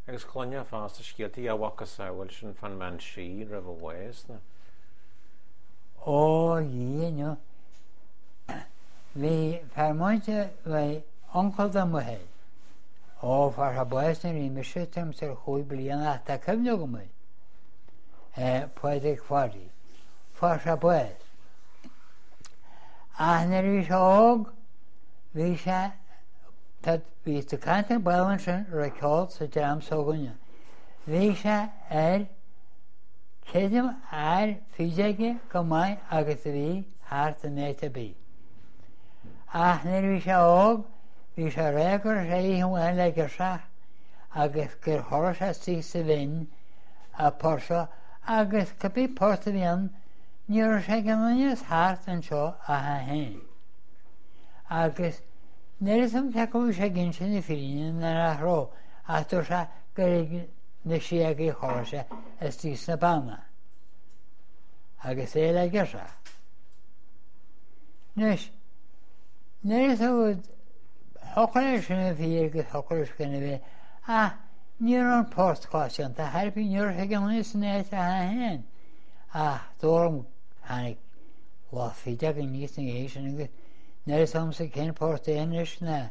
Agus cluinfeá fosta scéaltaí a mhacasamhail sin fán mbean sí roimh a bhás na. Ó, a Dhia, no. Bhí fear múinte, bhí uncail do m'athair. Ó, fuair sé bás nuair a bhí mise tuairim is ar chúig bliana ach tá cuimhne agam air. Eh, Pádraig Pháidí. Fuair sé bás. Ach nuair a bhí sé óg, bhí sé, tá, bhí tú ag caint ar ball ansin, raibh ceol sa dream s'againne. Bhí sé ar, creidim, ar fideoige go maith agus a bhí thart in áit ar bith. Ach nuair a bhí sé óg, bhí sé ag rá go raibh sé oíche amháin le girseach agus gur chodlaigh sé istigh sa bhinn a port seo agus cibé port a bhí ann, ní raibh sé ag aon duine as thart anseo ach é féin. Agus níl a fhios agam cé acu a bhí sé ag inse na fírinne nó nach raibh, ach dúirt sé gur ag na síogaí a chodlaigh sé istigh sna beanna agus é le girseach. Anois, níl a fhios agat, thiocfadh leis sin a bheith fíor agus thiocfadh leis gan a bheith, ach ní raibh an port coitianta ar bith, ní raibh sé ag aon duine san áit ach é féin. Ach dúram, tháinig lucht fideog aníos ina dhiaidh sin agus níl a fhios agamsa cén port é anois ná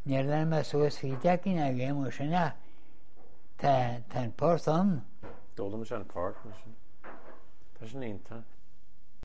níor lean mé suas fideogaí ná a dhath mar sin ach tá, tá an port ann. D'fhoghlaim sé an port mar sin. Tá sin iontach.